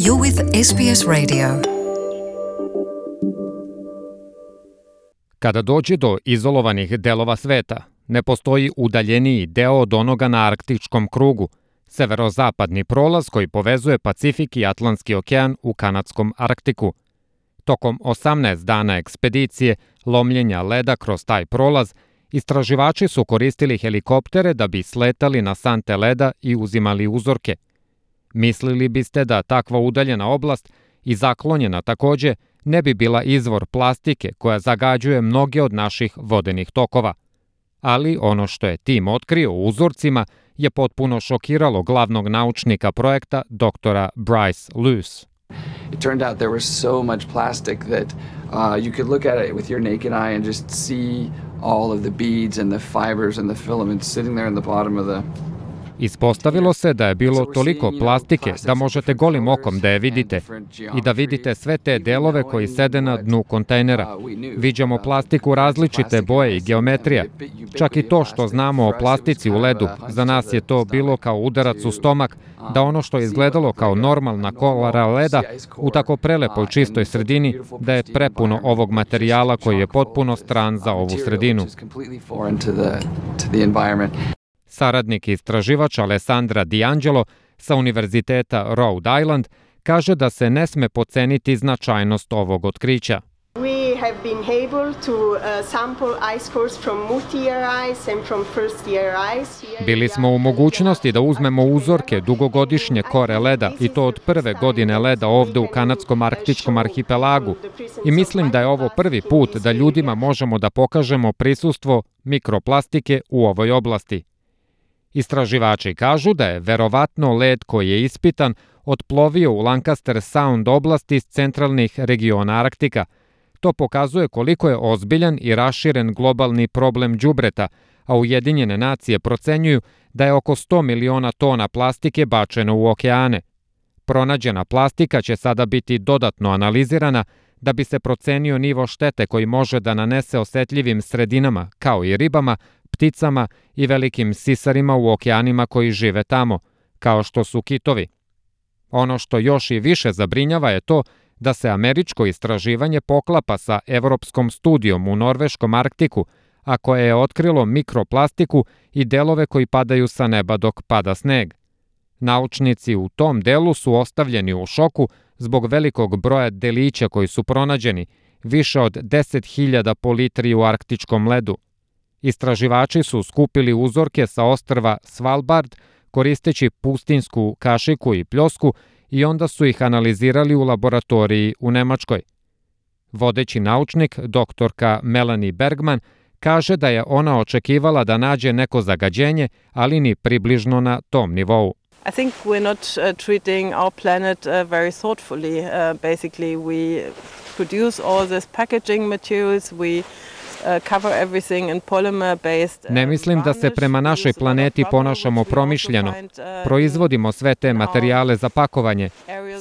You're with SBS Radio. Kada dođe do izolovanih delova sveta, ne postoji udaljeniji deo od onoga na arktičkom krugu, severozapadni prolaz koji povezuje Pacifik i Atlantski okean u kanadskom Arktiku. Tokom 18 dana ekspedicije, lomljenja leda kroz taj prolaz, istraživači su koristili helikoptere da bi sletali na sante leda i uzimali uzorke. Mislili biste da takva udaljena oblast i zaklonjena takođe ne bi bila izvor plastike koja zagađuje mnoge od naših vodenih tokova. Ali ono što je tim otkrio u uzorcima je potpuno šokiralo glavnog naučnika projekta, doktora Bryce Luce. It turned out there was so much plastic that you could look at it with your naked eye and just see all of the beads and the fibers and the filaments sitting there in the bottom of the... Ispostavilo se da je bilo toliko plastike da možete golim okom da je vidite i da vidite sve te delove koji sede na dnu kontejnera. Viđamo plastiku različite boje i geometrija. Čak i to što znamo o plastici u ledu, za nas je to bilo kao udarac u stomak, da ono što je izgledalo kao normalna kolara leda u tako prelepoj čistoj sredini, da je prepuno ovog materijala koji je potpuno stran za ovu sredinu. Saradnik i istraživač Alessandra D'Angelo sa Univerziteta Rhode Island kaže da se ne sme potceniti značajnost ovog otkrića. We have been able to sample ice cores from multi-year ice and from first-year ice. Bili smo u mogućnosti da uzmemo uzorke dugogodišnje kore leda i to od prve godine leda ovde u kanadskom arktičkom arhipelagu. I mislim da je ovo prvi put da ljudima možemo da pokažemo prisustvo mikroplastike u ovoj oblasti. Istraživači kažu da je verovatno led koji je ispitan otplovio u Lancaster Sound oblasti iz centralnih regiona Arktika. To pokazuje koliko je ozbiljan i raširen globalni problem đubreta, a Ujedinjene nacije procenjuju da je oko 100 miliona tona plastike bačeno u okeane. Pronađena plastika će sada biti dodatno analizirana da bi se procenio nivo štete koji može da nanese osetljivim sredinama, kao i ribama, pticama i velikim sisarima u okeanima koji žive tamo, kao što su kitovi. Ono što još i više zabrinjava je to da se američko istraživanje poklapa sa evropskom studijom u norveškom Arktiku, a koje je otkrilo mikroplastiku i delove koji padaju sa neba dok pada sneg. Naučnici u tom delu su ostavljeni u šoku zbog velikog broja delića koji su pronađeni, više od 10.000 po litri u arktičkom ledu. Istraživači su skupili uzorke sa ostrva Svalbard koristeći pustinsku kašiku i pljosku i onda su ih analizirali u laboratoriji u Nemačkoj. Vodeći naučnik, doktorka Melanie Bergman, kaže da je ona očekivala da nađe neko zagađenje, ali ni približno na tom nivou. I think we're not treating our planet very thoughtfully. Basically, we produce all this packaging materials, we cover everything in polymer-based. Ne mislim da se prema našoj planeti ponašamo promišljeno. Proizvodimo sve te materijale za pakovanje.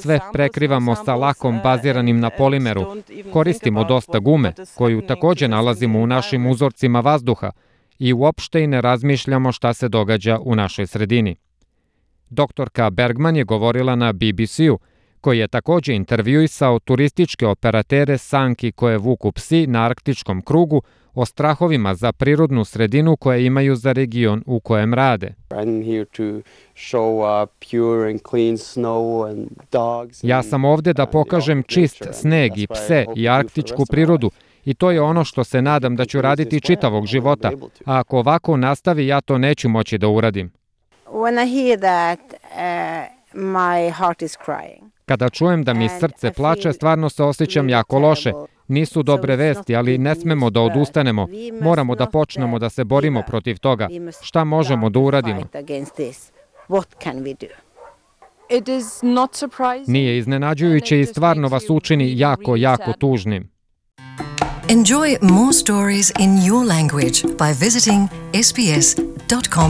Sve prekrivamo sa lakom baziranim na polimeru. Koristimo dosta gume, koju takođe nalazimo u našim uzorcima vazduha i uopšte i ne razmišljamo šta se događa u našoj sredini. Doktorka Bergman je govorila na BBC-u, koji je takođe intervjuisao turističke operatere sanki koje vuku psi na arktičkom krugu o strahovima za prirodnu sredinu koje imaju za region u kojem rade. Ja sam ovde da pokažem čist sneg i pse i arktičku prirodu i to je ono što se nadam da ću raditi čitavog života, a ako ovako nastavi ja to neću moći da uradim. When I hear that, my heart is crying. Kada čujem da mi srce plače, stvarno se osjećam jako loše. Nisu dobre vesti, ali ne smemo da odustanemo. Moramo da počnemo da se borimo protiv toga. Šta možemo da uradimo? Nije iznenađujuće i stvarno vas učini jako, jako tužnim. Enjoy more stories in your language by visiting sbs.com.au.